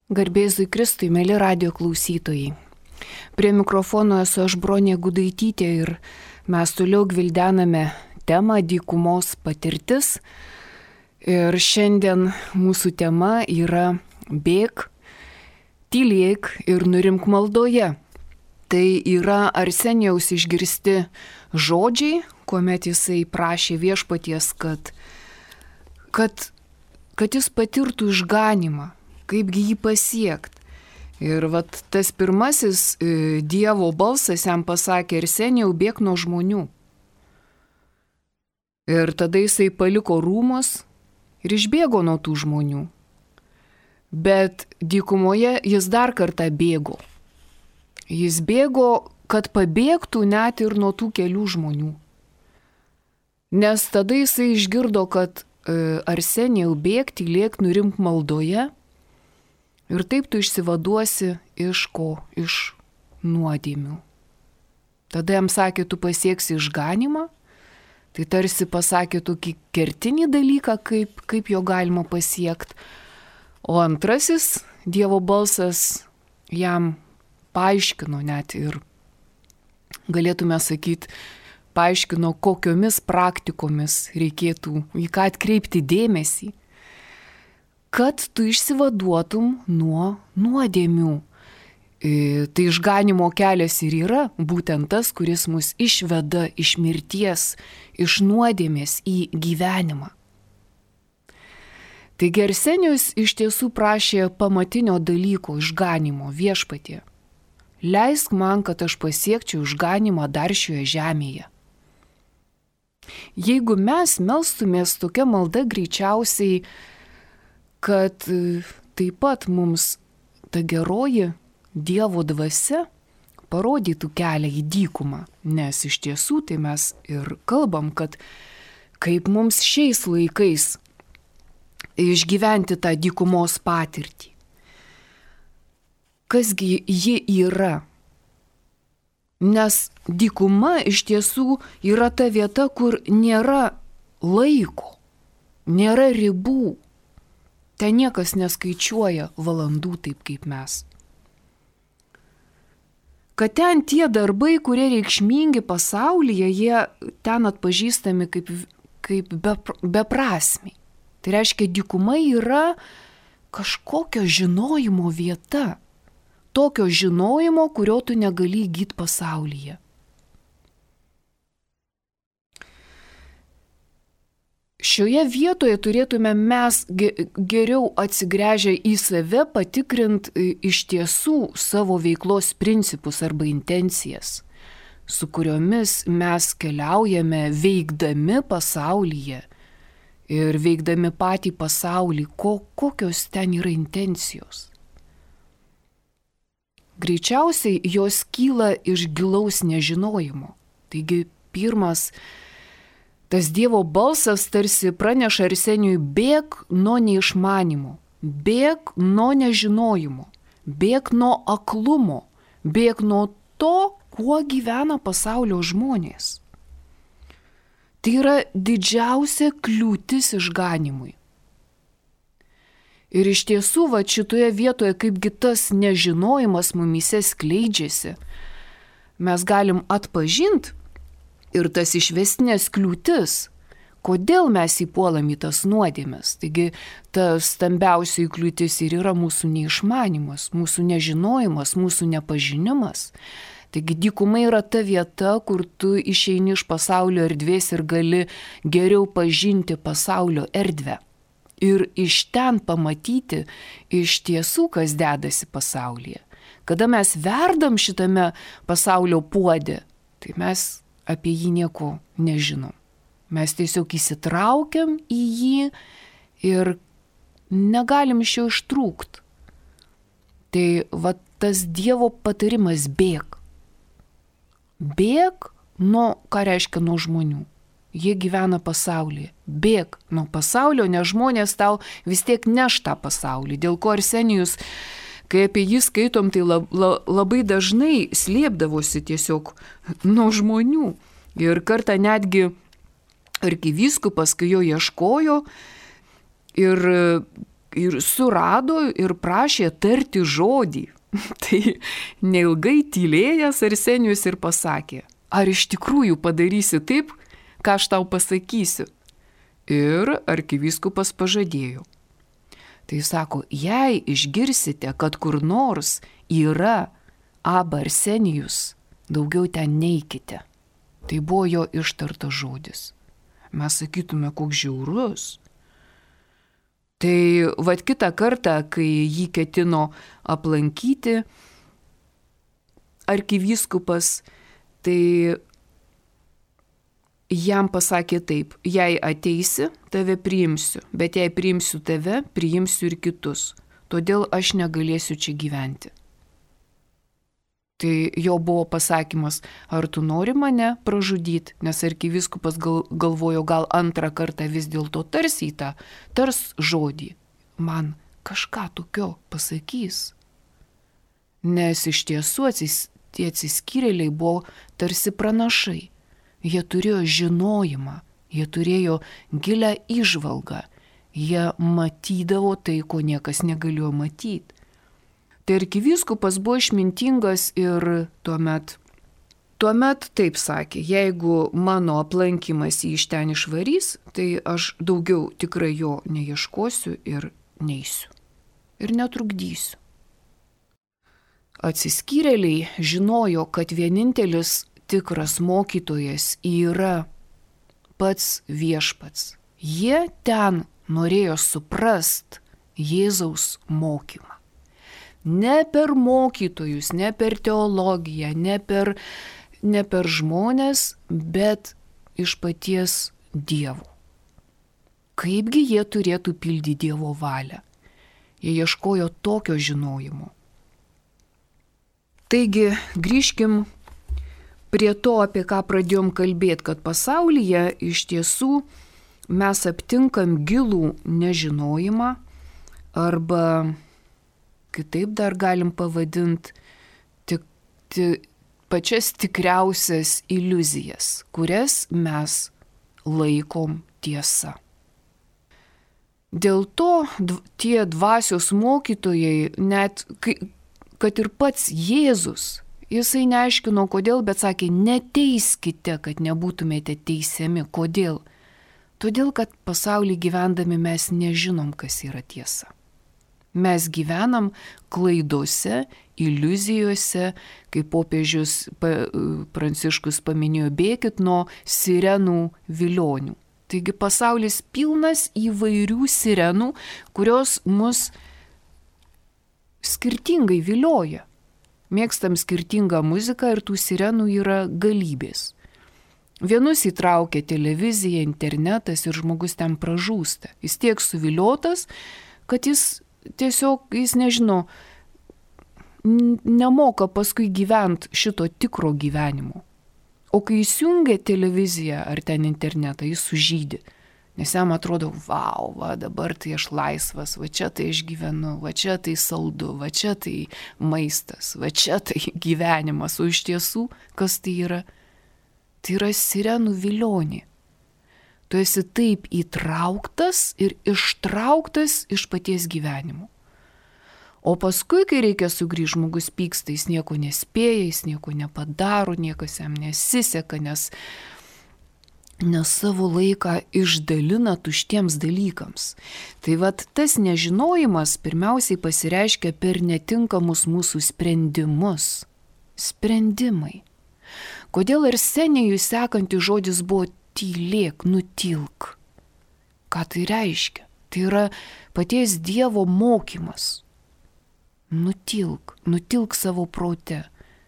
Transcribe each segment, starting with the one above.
Garbėzui Kristui, mėly radio klausytojai. Prie mikrofono esu aš Bronė Gudaitytė ir mes toliau gvildename temą dykumos patirtis. Ir šiandien mūsų tema yra bėk, tylėk ir nurimk maldoje. Tai yra Arsenijaus išgirsti žodžiai, kuomet jisai prašė viešpaties, kad jis patirtų išganymą. Kaipgi jį pasiekti. Ir vat tas pirmasis Dievo balsas jam pasakė: Arsenijau, bėk nuo žmonių. Ir tada jisai paliko rūmus ir išbėgo nuo tų žmonių. Bet dykumoje jis dar kartą bėgo. Jis bėgo, kad pabėgtų net ir nuo tų kelių žmonių. Nes tada jisai išgirdo, kad Arsenijau, bėk, tylėk, nurimk maldoje. Ir taip tu išsivaduosi iš ko? Iš nuodėmių. Tada jam sakė, tu pasieksi išganymą. Tai tarsi pasakė tokį kertinį dalyką, kaip jo galima pasiekti. O antrasis Dievo balsas jam paaiškino net ir, galėtume sakyti, paaiškino, kokiomis praktikomis reikėtų į ką atkreipti dėmesį, kad tu išsivaduotum nuo nuodėmių. Tai išganimo kelias ir yra būtent tas, kuris mus išveda iš mirties, iš nuodėmės į gyvenimą. Taigi Arsenijus iš tiesų prašė pamatinio dalyko išganimo viešpatie. Leisk man, kad aš pasiekčiau išganimą dar šioje žemėje. Jeigu mes melstumės tokia malda, greičiausiai kad taip pat mums ta geroji Dievo dvasia parodytų kelią į dykumą, nes iš tiesų tai mes ir kalbam, kad kaip mums šiais laikais išgyventi tą dykumos patirtį. Kasgi ji yra? Nes dykuma iš tiesų yra ta vieta, kur nėra laiko, nėra ribų. Ten niekas neskaičiuoja valandų taip kaip mes. Kad ten tie darbai, kurie reikšmingi pasaulyje, jie ten atpažįstami kaip beprasmiai. Tai reiškia, dykuma yra kažkokio žinojimo vieta. Tokio žinojimo, kurio tu negali įgyti pasaulyje. Šioje vietoje turėtume mes geriau atsigręžę į save patikrinti iš tiesų savo veiklos principus arba intencijas, su kuriomis mes keliaujame veikdami pasaulyje ir veikdami patį pasaulį, kokios ten yra intencijos. Greičiausiai jos kyla iš gilaus nežinojimo. Taigi pirmas, tas Dievo balsas tarsi praneša Arsenijui: bėk nuo neišmanimo, bėk nuo nežinojimo, bėk nuo aklumo, bėk nuo to, kuo gyvena pasaulio žmonės. Tai yra didžiausia kliūtis išganimui. Ir iš tiesų, va šitoje vietoje, kaipgi tas nežinojimas mumyse skleidžiasi, mes galim atpažinti ir tas išvestinės kliūtis, kodėl mes įpuolam į tas nuodėmes. Taigi, ta stambiausiai kliūtis ir yra mūsų neišmanimas, mūsų nežinojimas, mūsų nepažinimas. Taigi, dykuma yra ta vieta, kur tu išeini iš pasaulio erdvės ir gali geriau pažinti pasaulio erdvę. Ir iš ten pamatyti iš tiesų, kas dedasi pasaulyje. Kada mes verdam šitame pasaulio puode, tai mes apie jį nieko nežinom. Mes tiesiog įsitraukiam į jį ir negalim iš jo ištrūkti. Tai va tas Dievo patarimas: bėk. Bėk nuo, ką reiškia nuo žmonių. Jie gyvena pasaulyje. Bėk nuo pasaulio, nes žmonės tau vis tiek neš tą pasaulį. Dėl ko Arsenijus, kai apie jį skaitom, tai labai dažnai slėpdavosi tiesiog nuo žmonių. Ir kartą netgi arkivyskupas, kai jo ieškojo ir ir surado ir prašė tarti žodį. Tai neilgai tylėjęs Arsenijus ir pasakė, ar iš tikrųjų padarysi taip, ką aš tau pasakysiu? Ir arkivyskupas pažadėjo. Tai sako, jei išgirsite, kad kur nors yra Aba Arsenijus, daugiau ten neikite. Tai buvo jo ištartas žodis. Mes sakytume, koks žiaurus. Tai vat kitą kartą, kai jį ketino aplankyti arkivyskupas, tai jam pasakė taip, jei ateisi, tave priimsiu, bet jei priimsiu tave, priimsiu ir kitus, todėl aš negalėsiu čia gyventi. Tai jo buvo pasakymas, ar tu nori mane pražudyti, nes arkivyskupas galvojo, gal antrą kartą vis dėlto tars žodį, man kažką tokio pasakys. Nes iš tiesų tie atsiskyrėliai buvo tarsi pranašai. Jie turėjo žinojimą, jie turėjo gilią įžvalgą, jie matydavo tai, ko niekas negalėjo matyti. Tai arkivyskupas buvo išmintingas ir tuomet taip sakė, jeigu mano aplankymas jį iš ten išvarys, tai aš daugiau tikrai jo neieškosiu ir neisiu. Ir netrukdysiu. Atsiskyrėliai žinojo, kad vienintelis tikras mokytojas yra pats viešpats. Jie ten norėjo suprast Jėzaus mokymą. Ne per mokytojus, ne per teologiją, ne per žmonės, bet iš paties Dievo. Kaipgi jie turėtų pildyti Dievo valią? Jie ieškojo tokio žinojimo. Taigi, grįžkim prie to, apie ką pradėjom kalbėti, kad pasaulyje iš tiesų mes aptinkam gilų nežinojimą arba kitaip dar galim pavadinti pačias tikriausias iliuzijas, kurias mes laikom tiesa. Dėl to tie dvasios mokytojai, net kad ir pats Jėzus, jisai neaiškino kodėl, bet sakė, neteiskite, kad nebūtumėte teisiami. Kodėl? Todėl, kad pasaulį gyvendami mes nežinom, kas yra tiesa. Mes gyvenam klaidose, iliuzijose, kaip popiežius Pranciškus paminėjo, bėkit nuo sirenų vilionių. Taigi pasaulis pilnas įvairių sirenų, kurios mus skirtingai vilioja. Mėgstam skirtingą muziką ir tų sirenų yra galybės. Vienus įtraukia televizija, internetas ir žmogus ten pražūsta. Jis tiek suviliotas, kad jis nežino, nemoka paskui gyventi šito tikro gyvenimo. O kai įsijungia televiziją ar ten internetą, jis sužydi. Nes jam atrodo, vau, dabar tai aš laisvas, va čia tai aš gyvenu, va čia tai saldu, va čia tai maistas, va čia tai gyvenimas. O iš tiesų, kas tai yra? Tai yra sirenų vilionė. Tu esi taip įtrauktas ir ištrauktas iš paties gyvenimo. O paskui, kai reikia sugrįžti, žmogus pyksta, jis nieko nespėja, jis nieko nepadaro, niekas jam nesiseka, nes savo laiką išdalina tuštiems dalykams. Tai vat tas nežinojimas pirmiausiai pasireiškia per netinkamus mūsų sprendimus. Sprendimai. Kodėl Arsenijui sekantis žodis buvo tylėk, nutilk. Ką tai reiškia? Tai yra paties Dievo mokymas. Nutilk savo prote,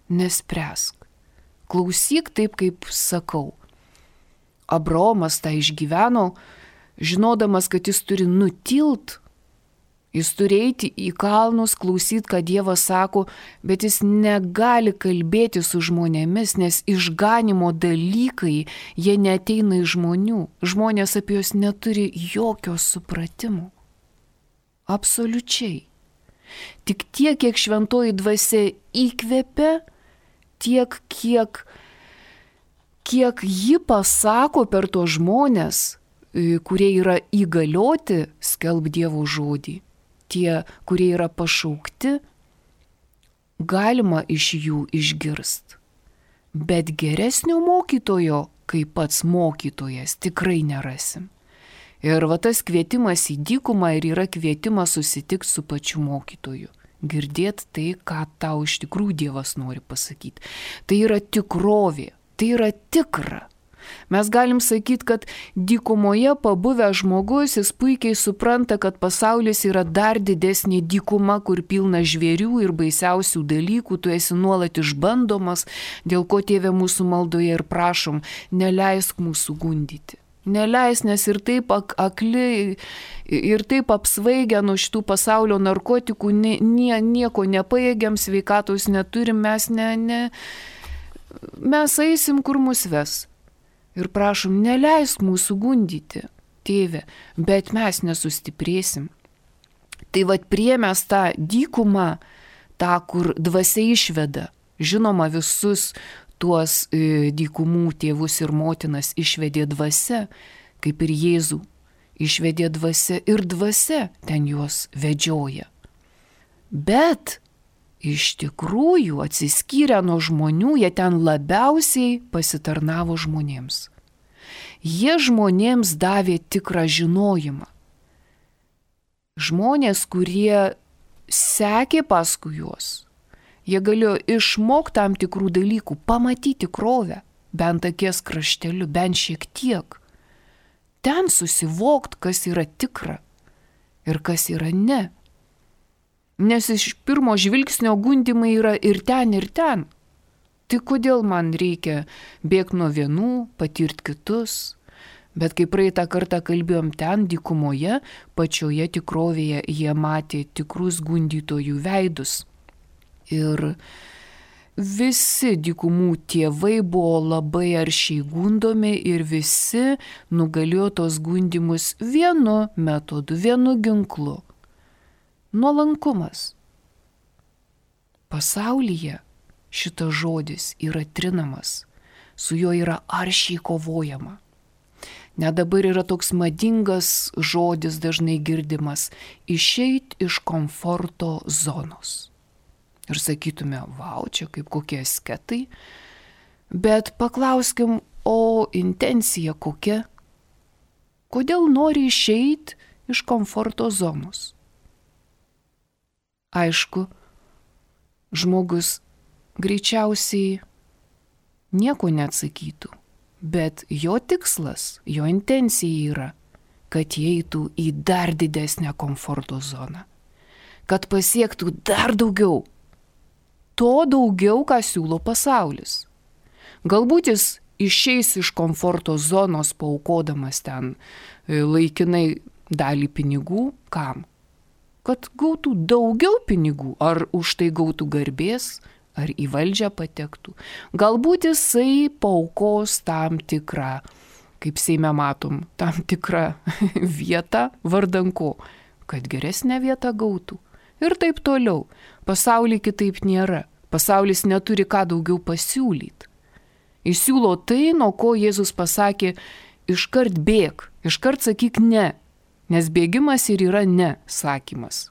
nespręsk. Klausyk taip, kaip sakau. Abraomas tą išgyveno, žinodamas, kad jis turi nutilt. Jis turi eiti į kalnus, klausyti, ką Dievas sako, bet jis negali kalbėti su žmonėmis, nes išganimo dalykai, jie neateina iš žmonių. Žmonės apie juos neturi jokio supratimo. Absoliučiai. Tik tiek, kiek šventoji dvasia įkvepia, tiek, kiek ji pasako per tos žmonės, kurie yra įgalioti skelbti Dievo žodį. tie, kurie yra pašaukti, galima iš jų išgirst. Bet geresnio mokytojo, kaip pats mokytojas, tikrai nerasim. Ir va tas kvietimas į dykumą ir yra kvietimas susitikti su pačiu mokytoju. Girdėt tai, ką tau iš tikrųjų Dievas nori pasakyti. Tai yra tikrovė, tai yra tikra. Mes galim sakyti, kad dykumoje pabuvęs žmogus, jis puikiai supranta, kad pasaulis yra dar didesnė dykuma, kur pilna žvėrių ir baisiausių dalykų, tu esi nuolat išbandomas, dėl ko Tėve mūsų maldoje ir prašom, neleisk mūsų gundyti. Neleis, nes ir taip akli, ir taip apsvaigę nuo šitų pasaulio narkotikų, nieko nepajėgiam, sveikatos neturim, mes eisim, kur mus ves. Ir prašom, neleisk mūsų gundyti, Tėve, bet mes nesustiprėsim. Tai vat priėmęs tą dykumą, tą, kur dvasia išveda, žinoma, visus tuos dykumų tėvus ir motinas išvedė dvasia, kaip ir Jėzų išvedė dvasia ir dvasia ten juos vedžioja. Bet iš tikrųjų atsiskyrę nuo žmonių, jie ten labiausiai pasitarnavo žmonėms. Jie žmonėms davė tikrą žinojimą. Žmonės, kurie sekė paskui juos, jie galėjo išmokti tam tikrų dalykų, pamatyti tikrovę, bent akies krašteliu, bent šiek tiek. Ten susivokti, kas yra tikra ir kas yra ne. Nes iš pirmo žvilgsnio gundimai yra ir ten, ir ten. Tai kodėl man reikia bėgti nuo vienų, patirti kitus? Bet kai praeitą kartą kalbėjom ten, dykumoje, pačioje tikrovėje jie matė tikrus gundytojų veidus. Ir visi dykumų tėvai buvo labai aršiai gundomi ir visi nugalėjo tos gundymus vienu metodu, vienu ginklu. Nuolankumas. Pasaulyje šitas žodis yra trinamas, su juo yra aršiai kovojama. Net dabar yra toks madingas žodis dažnai girdimas – išeit iš komforto zonos. Ir sakytume, vau, čia kaip kokie asketai, bet paklauskim, o intencija kokia? Kodėl nori išeit iš komforto zonos? Aišku, žmogus greičiausiai nieko neatsakytų, bet jo tikslas, jo intencija yra, kad įeitų į dar didesnę komforto zoną, kad pasiektų dar daugiau, to daugiau, ką siūlo pasaulis. Galbūt jis išeis iš komforto zonos paaukodamas ten laikinai dalį pinigų, kam? Kad gautų daugiau pinigų, ar už tai gautų garbės, ar į valdžią patektų. Galbūt jisai paaukos tam tikrą, kaip Seime matom, tam tikrą vietą vardan ko, kad geresnę vietą gautų. Ir taip toliau. Pasaulyje kitaip nėra. Pasaulis neturi ką daugiau pasiūlyti. Jis siūlo tai, nuo ko Jėzus pasakė, iškart bėk, iškart sakyk ne. Nes bėgimas ir yra ne sakymas.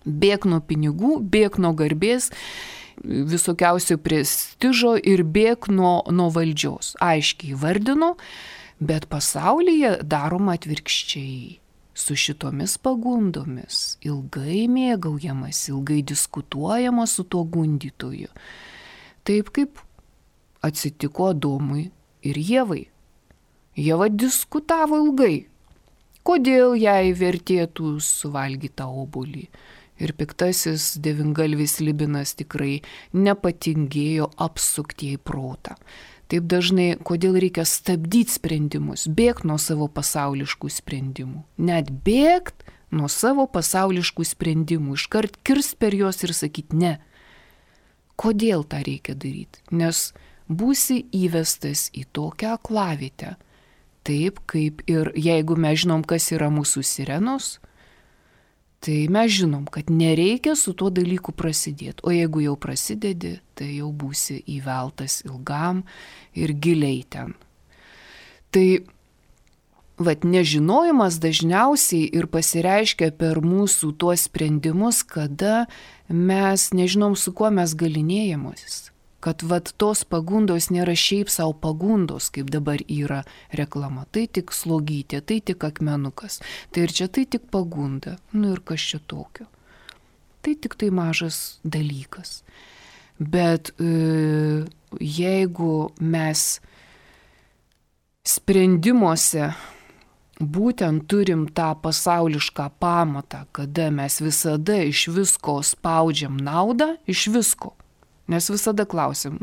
Bėk nuo pinigų, bėk nuo garbės, visokiausio prestižo ir bėk nuo valdžios. Aiškiai vardino, bet pasaulyje daroma atvirkščiai. Su šitomis pagundomis ilgai mėgaujamas, ilgai diskutuojama su tuo gundytoju. Taip kaip atsitiko Adomui ir Ievai. Ieva diskutavo ilgai. Kodėl jai vertėtų suvalgyti tą obuolį? Ir piktasis devyngalvis Libinas tikrai nepatingėjo apsukti į protą. Taip dažnai, kodėl reikia stabdyti sprendimus, bėgti nuo savo pasauliškų sprendimų. Net bėgti nuo savo pasauliškų sprendimų, iškart kirst per juos ir sakyti ne. Kodėl tą reikia daryti? Nes būsi įvestas į tokią aklavietę. Taip kaip ir jeigu mes žinom, kas yra mūsų sirenos, tai mes žinom, kad nereikia su tuo dalyku prasidėti. O jeigu jau prasidedi, tai jau būsi įveltas ilgam ir giliai ten. Tai vat nežinojimas dažniausiai ir pasireiškia per mūsų tuos sprendimus, kada mes nežinom, su kuo mes galinėjimus. Kad vat tos pagundos nėra šiaip savo pagundos, kaip dabar yra reklama. Tai tik slogytė, tai tik akmenukas. Tai ir čia tai tik pagunda. Nu ir kas čia tokio? Tai tik tai mažas dalykas. Bet jeigu mes sprendimuose būtent turim tą pasaulišką pamatą, kada mes visada iš visko spaudžiam naudą, iš visko. Nes visada klausim,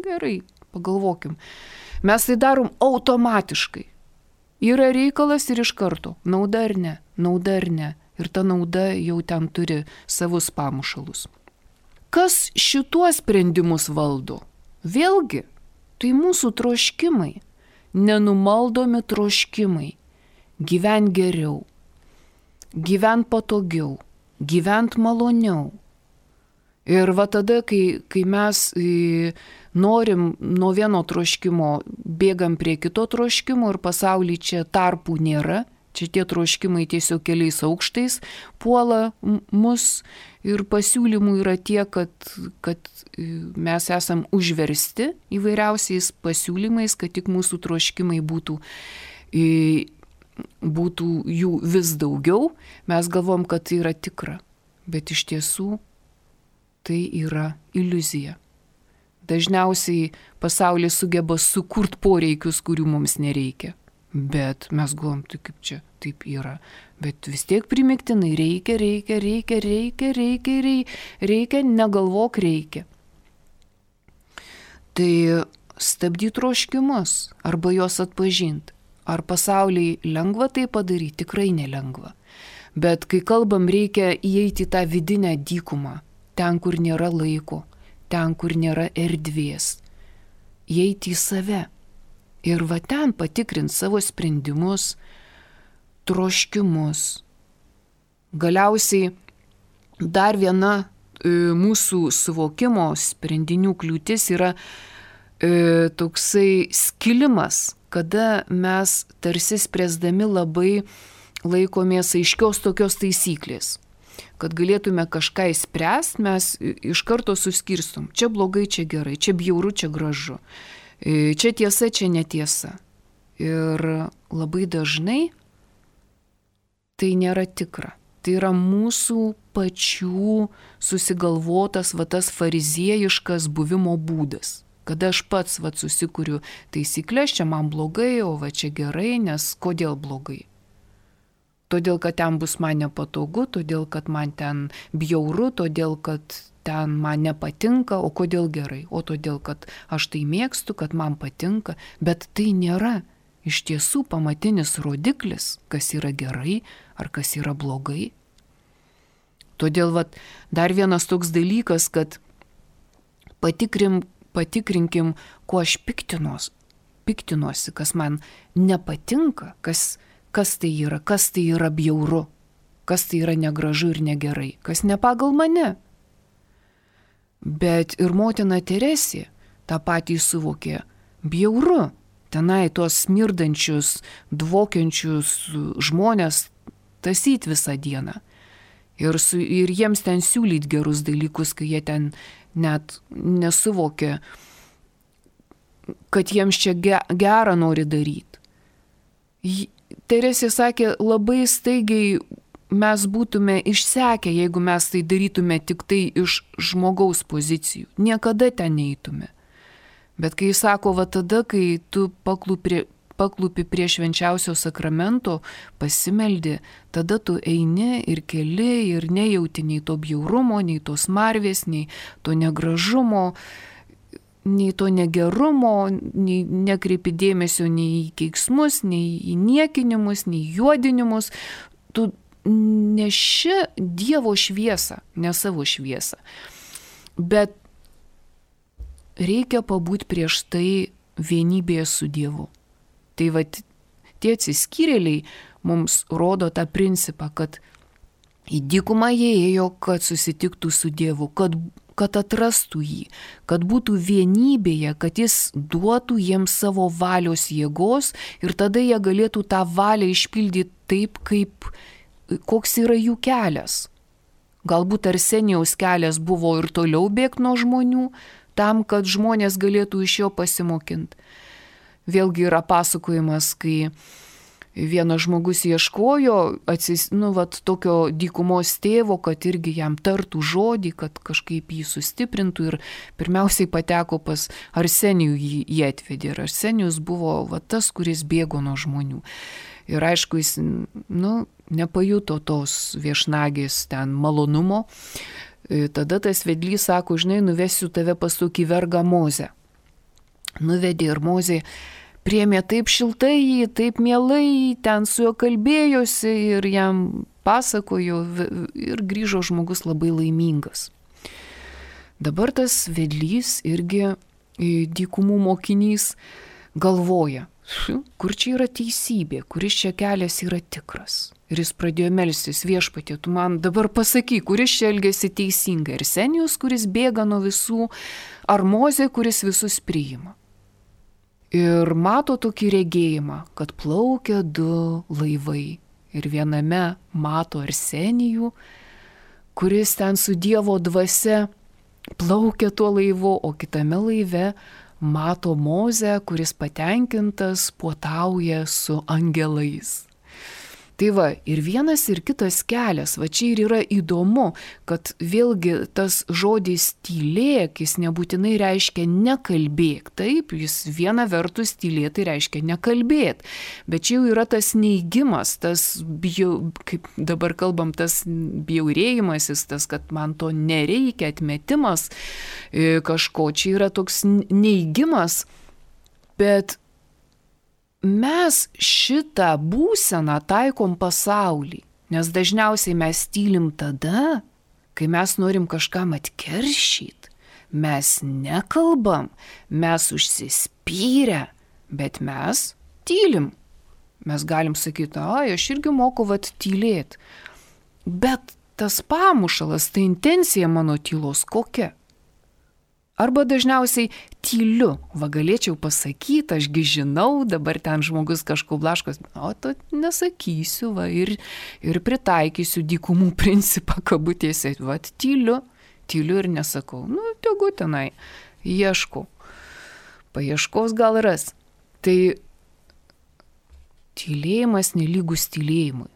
gerai, pagalvokim. Mes tai darom automatiškai. Yra reikalas ir iš karto. Nauda ar ne, nauda ar ne. Ir ta nauda jau ten turi savus pamušalus. Kas šituos sprendimus valdo? Vėlgi, tai mūsų troškimai. Nenumaldomi troškimai. Gyvent geriau. Gyvent patogiau. Gyvent maloniau. Ir va tada, kai mes norim nuo vieno troškimo, bėgam prie kito troškimo ir pasaulyje čia tarpų nėra, čia tie troškimai tiesiog keliais aukštais puola mus ir pasiūlymų yra tiek, kad mes esam užversti įvairiausiais pasiūlymais, kad tik mūsų troškimai būtų jų vis daugiau. Mes galvom, kad tai yra tikra, bet iš tiesų tai yra iliuzija. Dažniausiai pasaulis sugeba sukurti poreikius, kurių mums nereikia. Bet mes galvom, tai kaip čia taip yra. Bet vis tiek primiktinai reikia, negalvok reikia. Tai stabdyti troškimus arba juos atpažinti. Ar pasauliai lengva tai padaryti? Tikrai nelengva. Bet kai kalbam, reikia įeiti į tą vidinę dykumą. Ten, kur nėra laiko, ten, kur nėra erdvės. Įeiti į save. Ir va ten patikrint savo sprendimus, troškimus. Galiausiai dar viena mūsų suvokimo sprendinių kliūtis yra toksai skilimas, kada mes tarsi spręsdami labai laikomės aiškios tokios taisyklės. Kad galėtume kažką įspręsti, mes iš karto suskirstom. Čia blogai, čia gerai, čia bjauru, čia gražu. Čia tiesa, čia netiesa. Ir labai dažnai tai nėra tikra. Tai yra mūsų pačių susigalvotas tas fariziejiškas buvimo būdas. Kada aš pats susikuriu taisyklės, čia man blogai, o čia gerai, nes kodėl blogai? Todėl, kad ten bus man nepatogu, todėl, kad man ten bjauru, todėl, kad ten man nepatinka, o kodėl gerai? O todėl, kad aš tai mėgstu, kad man patinka, bet tai nėra iš tiesų pamatinis rodiklis, kas yra gerai ar kas yra blogai. Todėl dar vienas toks dalykas, kad patikrinkim, kuo aš piktinuosi, kas man nepatinka, kas tai yra bjauru, kas tai yra negražu ir negerai, kas ne pagal mane. Bet ir motina Teresė tą patį suvokė, bjauru, tenai tuos smirdančius, dvokiančius žmonės tasyt visą dieną. Ir jiems ten siūlyt gerus dalykus, kai jie ten net nesuvokė, kad jiems čia gerą nori daryti. Teresė sakė, labai staigiai mes būtume išsekę, jeigu mes tai darytume tik tai iš žmogaus pozicijų. Niekada ten neitume. Bet kai jis sako, tada, kai tu paklupi prie švenčiausio sakramento, pasimeldi, tada tu eini ir keli ir nejauti nei to bjaurumo, nei tos marvės, nei to negražumo, nei to negerumo, nei nekreipi dėmesio nei į keiksmus, nei į niekinimus, nei juodinimus. Tu neši Dievo šviesą, ne savo šviesą. Bet reikia pabūti prieš tai vienybėje su Dievu. Tai tie atsiskyrėliai mums rodo tą principą, kad į dykumą jie ėjo, kad susitiktų su Dievu, kad kad atrastų jį, kad būtų vienybėje, kad jis duotų jiems savo valios jėgos ir tada jie galėtų tą valią išpildyti taip, koks yra jų kelias. Galbūt Arsenijaus kelias buvo ir toliau bėgti nuo žmonių, tam, kad žmonės galėtų iš jo pasimokinti. Vėlgi yra pasakojimas, kai vienas žmogus ieškojo tokio dykumos tėvo, kad irgi jam tartų žodį, kad kažkaip jį sustiprintų ir pirmiausiai pateko pas Arsenijų jį atvedė. Ir Arsenijus buvo tas, kuris bėgo nuo žmonių. Ir aišku, jis nepajuto tos viešnagės ten malonumo. Tada tas vedlys sako, žinai, nuvesiu tave pas tokį vergą Mozę. Nuvedė ir Mozė priėmė taip šiltai jį, taip mielai, ten su juo kalbėjosi ir jam pasakojo ir grįžo žmogus labai laimingas. Dabar tas vedlys irgi dykumų mokinys galvoja, kur čia yra teisybė, kuris čia kelias yra tikras. Ir jis pradėjo melstis, Viešpatie, tu man dabar pasakyk, kuris čia elgiasi teisingai. Arsenijus, kuris bėga nuo visų, ar Mozė, kuris visus priima. Ir mato tokį regėjimą, kad plaukia 2 laivai. Ir viename mato Arsenijų, kuris ten su Dievo dvasia plaukia tuo laivu, o kitame laive mato Mozę, kuris patenkintas puotauja su angelais. Tai va, ir vienas ir kitas kelias, va čia ir yra įdomu, kad vėlgi tas žodis tylėk, jis nebūtinai reiškia nekalbėk, taip, jis viena vertus tylėk, tai reiškia nekalbėk, bet čia jau yra tas neigimas, tas, kaip dabar kalbam, tas bjaurėjimasis, tas, kad man to nereikia, atmetimas kažko, čia yra toks neigimas, bet mes šitą būseną taikom pasaulį, nes dažniausiai mes tylim tada, kai mes norim kažkam atkeršyti, mes nekalbam, mes užsispyrę, bet mes tylim. Mes galim sakyti, aš irgi moku tylėti, bet tas pamušalas, ta intencija mano tylos kokia? Arba dažniausiai tyliu, galėčiau pasakyti, ašgi žinau, dabar ten žmogus kažko blaškos, to nesakysiu, ir pritaikysiu dykumų principą kabutėse, tyliu ir nesakau, tegu tenai, ieškau, paieškos gal ras. Tai tylėjimas nelygus tylėjimui.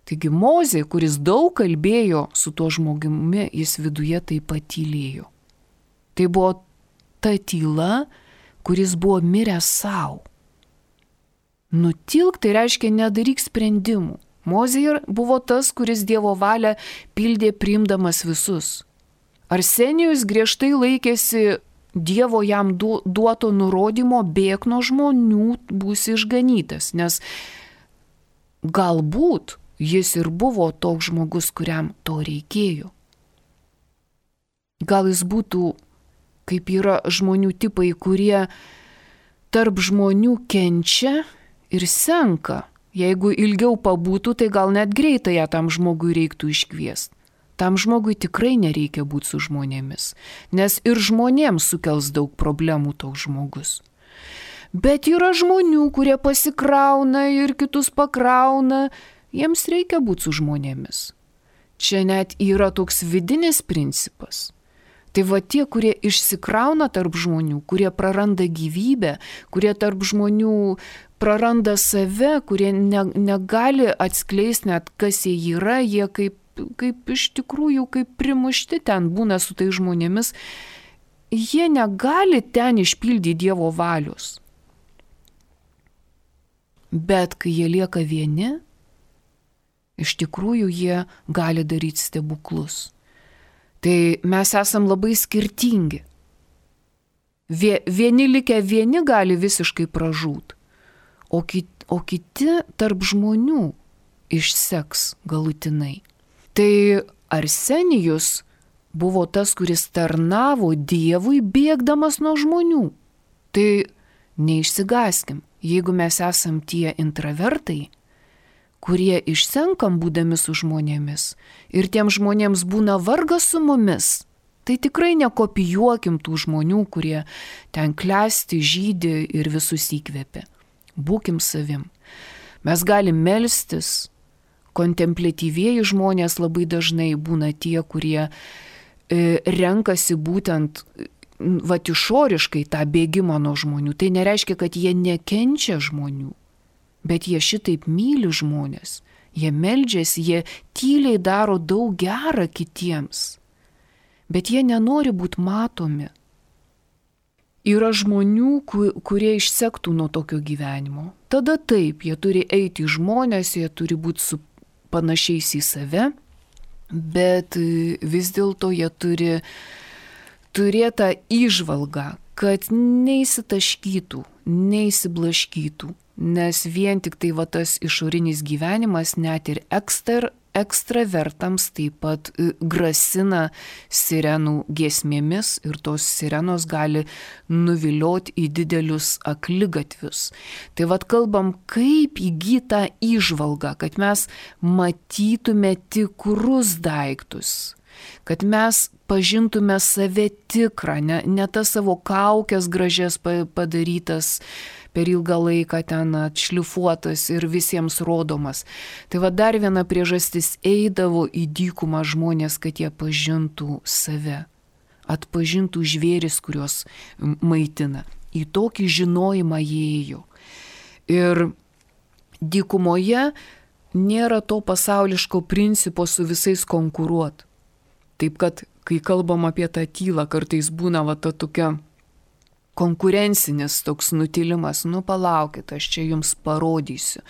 Taigi Mozė, kuris daug kalbėjo su tuo žmogumi, jis viduje taip pat tylėjo. Tai buvo ta tyla, kuris buvo miręs savo. Nutilk tai reiškia nedaryk sprendimų. Mozė buvo tas, kuris Dievo valią pildė priimdamas visus. Arsenijus griežtai laikėsi Dievo jam duoto nurodymo bėk nuo žmonių, būsi išganytas, nes galbūt jis ir buvo toks žmogus, kuriam to reikėjo. Gal jis būtų, kaip yra žmonių tipai, kurie tarp žmonių kenčia ir senka. Jeigu ilgiau pabūtų, tai gal net greitai tam žmogui reiktų iškviesti. Tam žmogui tikrai nereikia būti su žmonėmis, nes ir žmonėms sukels daug problemų toks žmogus. Bet yra žmonių, kurie pasikrauna ir kitus pakrauna, jiems reikia būti su žmonėmis. Čia net yra toks vidinis principas. Tai tie, kurie išsikrauna tarp žmonių, kurie praranda gyvybę, kurie tarp žmonių praranda save, kurie negali atskleisti net, kas jie yra, jie kaip iš tikrųjų, kaip primušti ten būna su tai žmonėmis, jie negali ten išpildyti Dievo valios. Bet kai jie lieka vieni, iš tikrųjų jie gali daryti stebuklus. Tai mes esam labai skirtingi. Vieni likę vieni gali visiškai pražūt, o kiti tarp žmonių išseks galutinai. Tai Arsenijus buvo tas, kuris tarnavo Dievui bėgdamas nuo žmonių. Tai neišsigaskim, jeigu mes esam tie intravertai, kurie išsenkam būdami su žmonėmis ir tiem žmonėms būna vargas su mumis, Tai tikrai nekopijuokim tų žmonių, kurie ten klesti, žydi ir visus įkvėpia. Būkim savim. Mes galim melstis. Kontempliatyvieji žmonės labai dažnai būna tie, kurie renkasi būtent išoriškai tą bėgimą nuo žmonių. Tai nereiškia, kad jie nekenčia žmonių, bet jie šitaip myli žmonės. Jie meldžiasi, jie tyliai daro daug gerą kitiems, bet jie nenori būti matomi. Yra žmonių, kurie išsektų nuo tokio gyvenimo. Tada taip, jie turi eiti į žmonės, jie turi būti su panašiais į save, bet vis dėlto jie turi turėtą įžvalgą, kad neįsitaškytų, neįsiblaškytų, nes vien tik tai tas išorinis gyvenimas net ir ekstravertams taip pat grasina sirenų giesmėmis ir tos sirenos gali nuvilioti į didelius akligatvius. Tai kalbam, kaip įgyti tą įžvalgą, kad mes matytume tikrus daiktus, kad mes pažintume save tikrą, ne tas savo kaukės gražias padarytas, per ilgą laiką ten atšlifuotas ir visiems rodomas. Tai dar viena priežastis, eidavo į dykumą žmonės, kad jie pažintų save, atpažintų žvėris, kuriuos maitina. Į tokį žinojimą jie ėjo. Ir dykumoje nėra to pasauliško principo su visais konkuruoti. Taip kad, kai kalbam apie tą tylą, kartais būna ta tokia konkurencinis toks nutilimas, palaukit, aš čia jums parodysiu.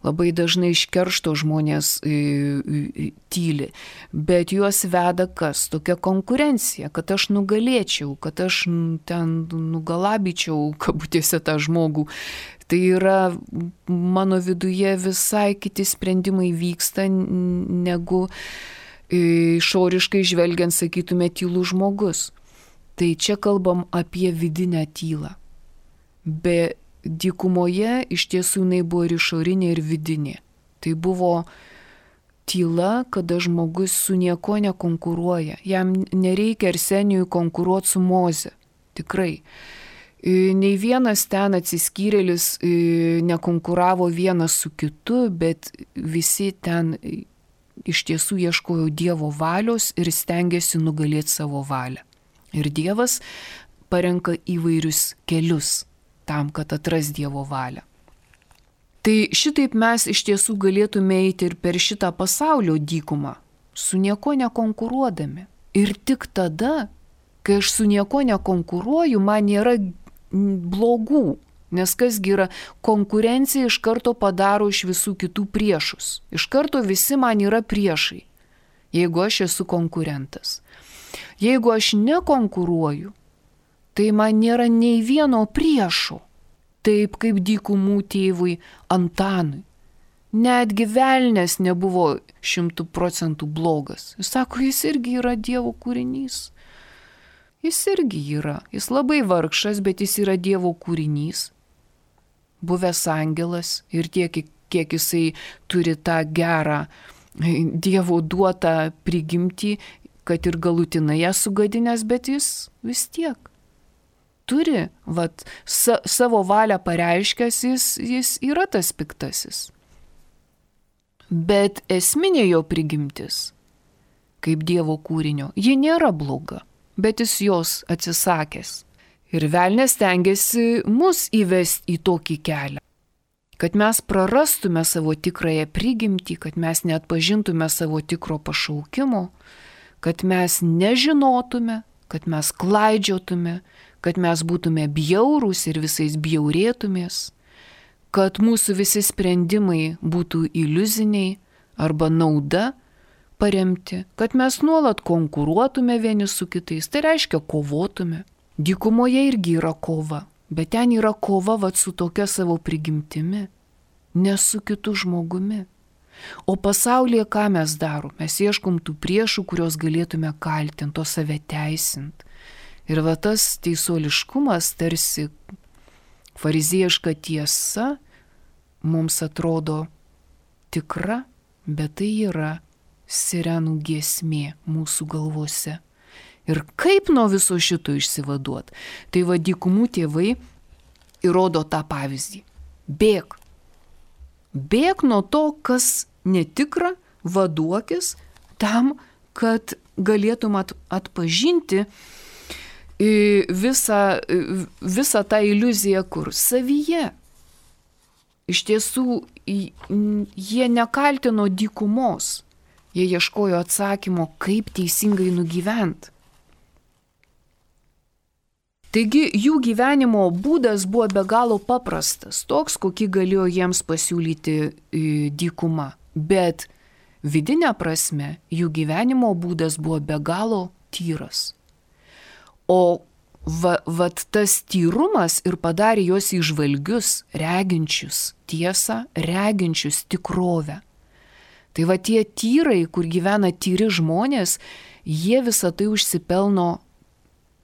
Labai dažnai iš keršto žmonės tyli, bet juos veda kas? Tokia konkurencija, kad aš nugalėčiau, kad aš ten nugalabyčiau kabutėse tą žmogų. Tai yra mano viduje visai kiti sprendimai vyksta, negu išoriškai žvelgiant, sakytume, tylų žmogus. Tai čia kalbam apie vidinę tylą. Be dykumoje iš tiesų jinai buvo ir išorinė, ir vidinė. Tai buvo tyla, kada žmogus su nieko nekonkuruoja. Jam nereikia Arsenijui konkuruoti su Moze. Tikrai. Nei vienas ten atsiskyrėlis nekonkuravo vienas su kitu, bet visi ten iš tiesų ieškojo Dievo valios ir stengiasi nugalėti savo valią. Ir Dievas parenka įvairius kelius tam, kad atras Dievo valią. Tai šitaip mes iš tiesų galėtume eiti ir per šitą pasaulio dykumą, su nieko nekonkuruodami. Ir tik tada, kai aš su nieko nekonkuruoju, man nėra blogų, nes kasgi yra konkurencija iš karto padaro iš visų kitų priešus. Iš karto visi man yra priešai, jeigu aš esu konkurentas. Jeigu aš nekonkuruoju, tai man nėra nei vieno priešo, taip kaip dykumų tėvui Antanui. Netgi velnės nebuvo 100% blogas. Jis sako, jis irgi yra Dievo kūrinys. Jis irgi yra. Jis labai vargšas, bet jis yra Dievo kūrinys. Buvęs angelas ir tiek, kiek jisai turi tą gerą Dievo duotą prigimtį, kad ir galutinai ją sugadinęs, bet jis vis tiek turi, savo valią pareiškęs, jis yra tas piktasis. Bet esminė jo prigimtis, kaip Dievo kūrinio, ji nėra bloga, bet jis jos atsisakęs. Ir velnias stengiasi mus įvesti į tokį kelią, kad mes prarastume savo tikrąją prigimtį, kad mes neatpažintume savo tikro pašaukimo, kad mes nežinotume, kad mes klaidžiotume, kad mes būtume bjaurūs ir visais bjaurėtumės, kad mūsų visi sprendimai būtų iliuziniai arba nauda paremti, kad mes nuolat konkuruotume vieni su kitais, tai reiškia kovotume. Dykumoje irgi yra kova, bet ten yra kova su tokia savo prigimtimi, ne su kitu žmogumi. O pasaulyje ką mes darom? Mes ieškom tų priešų, kuriuos galėtume kaltinti, o save teisint. Ir tas teisuoliškumas, tarsi fariziejiška tiesa, mums atrodo tikra, bet tai yra sirenų giesmė mūsų galvose. Ir kaip nuo viso šito išsivaduot? Tai va dykumų tėvai įrodo tą pavyzdį. Bėk. Bėk nuo to, kas netikra, vaduokis tam, kad galėtum atpažinti visą tą iliuziją, kur savyje. Iš tiesų, jie nekaltino dykumos, jie ieškojo atsakymo, kaip teisingai nugyventi. Taigi jų gyvenimo būdas buvo be galo paprastas, toks, kokį galėjo jiems pasiūlyti dykuma. Bet vidinė prasme jų gyvenimo būdas buvo be galo tyras. O vat tas tyrumas ir padarė juos įžvalgius, reginčius tiesą, reginčius tikrovę. Tai va tie tyrai, kur gyvena tyri žmonės, jie visą tai užsipelno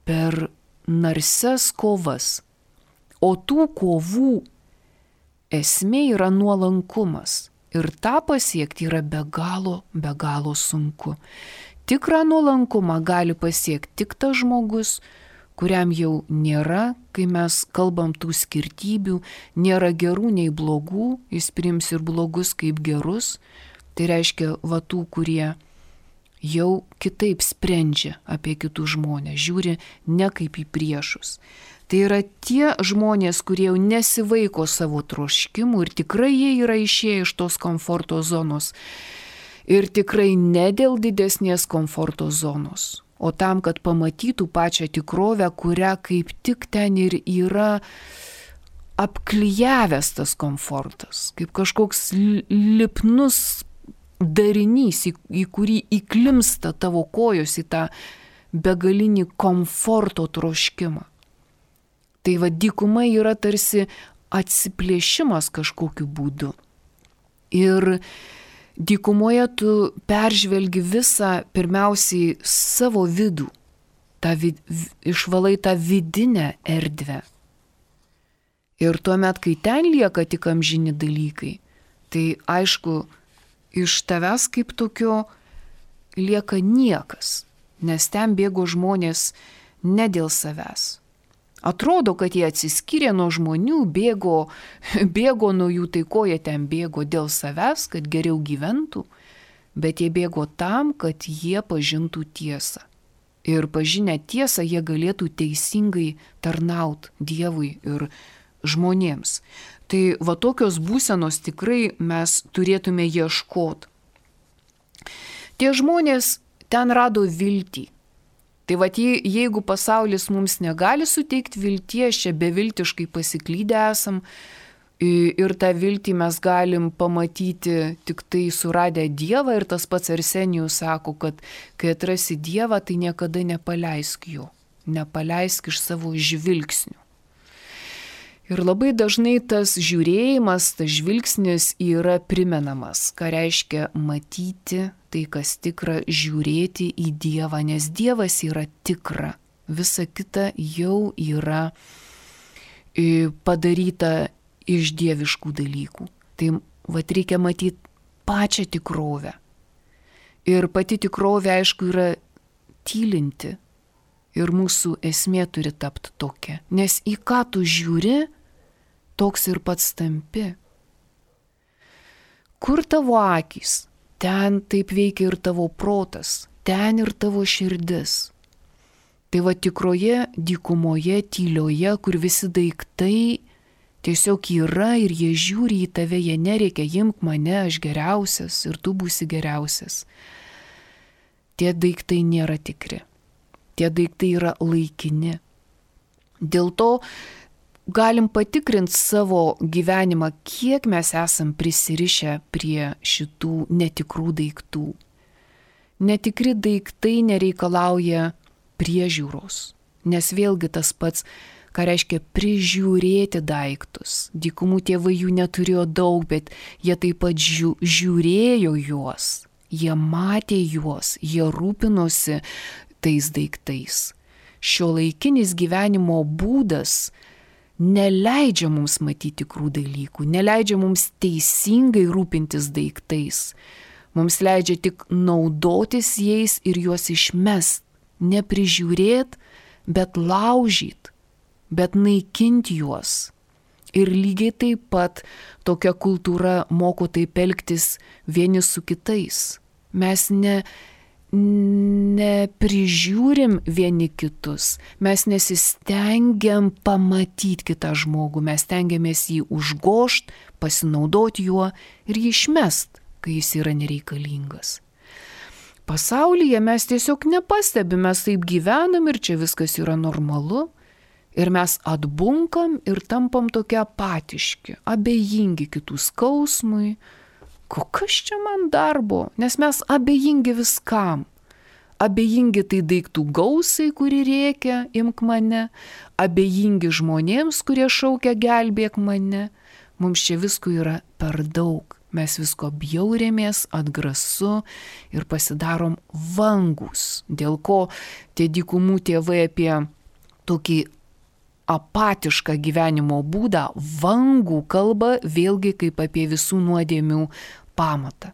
per narsias kovas. O tų kovų esmė yra nuolankumas. Ir tą pasiekti yra be galo sunku. Tikrą nuolankumą gali pasiekti tik tas žmogus, kuriam jau nėra, kai mes kalbam tų skirtybių, nėra gerų nei blogų, jis priims ir blogus kaip gerus. Tai reiškia, va tų, kurie jau kitaip sprendžia apie kitus žmonės, žiūri ne kaip į priešus. Tai yra tie žmonės, kurie jau nesivaiko savo troškimų ir tikrai jie yra išėję iš tos komforto zonos. Ir tikrai ne dėl didesnės komforto zonos, o tam, kad pamatytų pačią tikrovę, kurią kaip tik ten ir yra apklijavęs tas komfortas, kaip kažkoks lipnus darinys, į kurį įklimsta tavo kojos į tą begalinį komforto troškimą. Tai va dykuma yra tarsi atsiplėšimas kažkokiu būdu. Ir dykumoje tu peržvelgi visą pirmiausiai savo vidų, išvalai tą vidinę erdvę. Ir tuomet, kai ten lieka tik amžini dalykai, tai aišku, iš tavęs kaip tokio lieka niekas, nes ten bėgo žmonės ne dėl savęs. Atrodo, kad jie atsiskyrė nuo žmonių, bėgo nuo jų, tai ko jie ten bėgo dėl savęs, kad geriau gyventų, bet jie bėgo tam, kad jie pažintų tiesą. Ir pažinę tiesą jie galėtų teisingai tarnauti Dievui ir žmonėms. Tai va tokios būsenos tikrai mes turėtume ieškoti. Tie žmonės ten rado viltį. Tai va jeigu pasaulis mums negali suteikti vilties, čia beviltiškai pasiklydę esam ir tą viltį mes galim pamatyti tik tai suradę Dievą ir tas pats Arsenijus sako, kad kai atrasi Dievą, tai niekada nepaleisk jo, nepaleisk iš savo žvilgsnių. Ir labai dažnai tas žiūrėjimas, tas žvilgsnis yra primenamas, ką reiškia matyti tai, kas tikra, žiūrėti į Dievą, nes Dievas yra tikra, visa kita jau yra padaryta iš dieviškų dalykų. Tai vat reikia matyti pačią tikrovę. Ir pati tikrovė, aišku, yra tylinti. Ir mūsų esmė turi tapti tokia. Nes į ką tu žiūri, toks ir pats tampi. Kur tavo akys? Ten taip veikia ir tavo protas, ten ir tavo širdis. Tai va tikroje dykumoje, tylioje, kur visi daiktai tiesiog yra ir jie žiūri į tave, jie nereikia, imk mane, aš geriausias ir tu būsi geriausias. Tie daiktai nėra tikri. Tie daiktai yra laikini. Dėl to galim patikrinti savo gyvenimą, kiek mes esam prisirišę prie šitų netikrų daiktų. Netikri daiktai nereikalauja priežiūros, nes vėlgi tas pats, ką reiškia prižiūrėti daiktus. Dykumų tėvai jų neturėjo daug, bet jie taip pat žiūrėjo juos, jie matė juos, jie rūpinosi tais daiktais. Šiuolaikinis gyvenimo būdas neleidžia mums matyti tikrų dalykų, neleidžia mums teisingai rūpintis daiktais. Mums leidžia tik naudotis jais ir juos išmest, neprižiūrėt, bet laužyt, bet naikint juos. Ir lygiai taip pat tokia kultūra moko taip elgtis vieni su kitais. Mes neprižiūrim vieni kitus, mes nesistengiam pamatyti kitą žmogų, mes stengiamės jį užgožt, pasinaudoti juo ir jį išmest, kai jis yra nereikalingas. Pasaulyje mes tiesiog nepastebim, mes taip gyvenam ir čia viskas yra normalu. Ir mes atbunkam ir tampam tokie apatiški, abejingi kitų skausmui. Kokias čia man darbo? Nes mes abejingi viskam. Abejingi tai daiktų gausai, kuri rėkia, imk mane. Abejingi žmonėms, kurie šaukia gelbėk mane. Mums čia visko yra per daug. Mes visko bjaurėmės, atgrasu ir pasidarom vangus. Dėl ko tie dykumų tėvai apie tokį apatišką gyvenimo būdą, vangų kalba vėlgi kaip apie visų nuodėmių pamatą.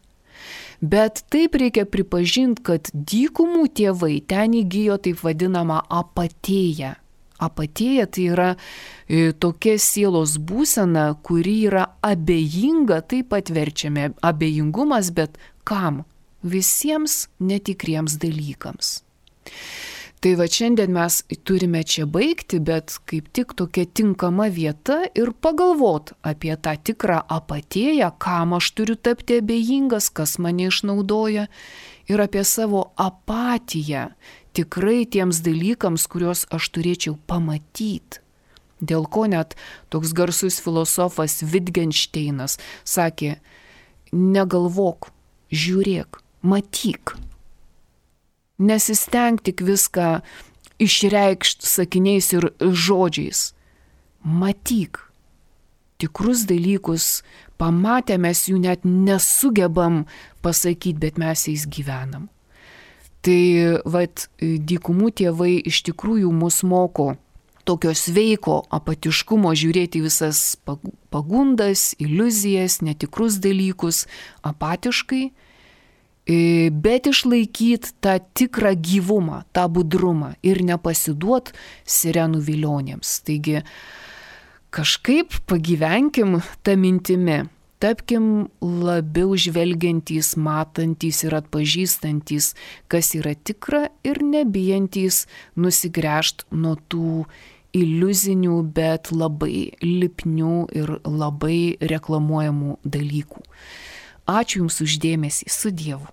Bet taip reikia pripažinti, kad dykumų tėvai ten įgijo taip vadinamą apatėją. Apatėja tai yra tokia sielos būsena, kuri yra abejinga, taip pat verčiame abejingumas, bet kam? Visiems netikriems dalykams. Tai va šiandien mes turime čia baigti, bet kaip tik tokia tinkama vieta ir pagalvot apie tą tikrą apatėją, kam aš turiu tapti abejingas, kas mane išnaudoja ir apie savo apatiją tikrai tiems dalykams, kuriuos aš turėčiau pamatyti. Dėl ko net toks garsus filosofas Wittgensteinas sakė, negalvok, žiūrėk, matyk. Nesisteng tik viską išreikšti sakiniais ir žodžiais. Matyk. Tikrus dalykus pamatę mes jų net nesugebam pasakyti, bet mes jais gyvenam. Tai dykumų tėvai iš tikrųjų mus moko tokio sveiko apatiškumo žiūrėti visas pagundas, iliuzijas, netikrus dalykus apatiškai, bet išlaikyti tą tikrą gyvumą, tą budrumą ir nepasiduot sirenų vilionėms. Taigi kažkaip pagyvenkim tą mintimi, tapkim labiau žvelgiantys, matantys ir atpažįstantys, kas yra tikra ir nebijantys nusigręžt nuo tų iliuzinių, bet labai lipnių ir labai reklamuojamų dalykų. Ačiū Jums už dėmesį, su Dievu.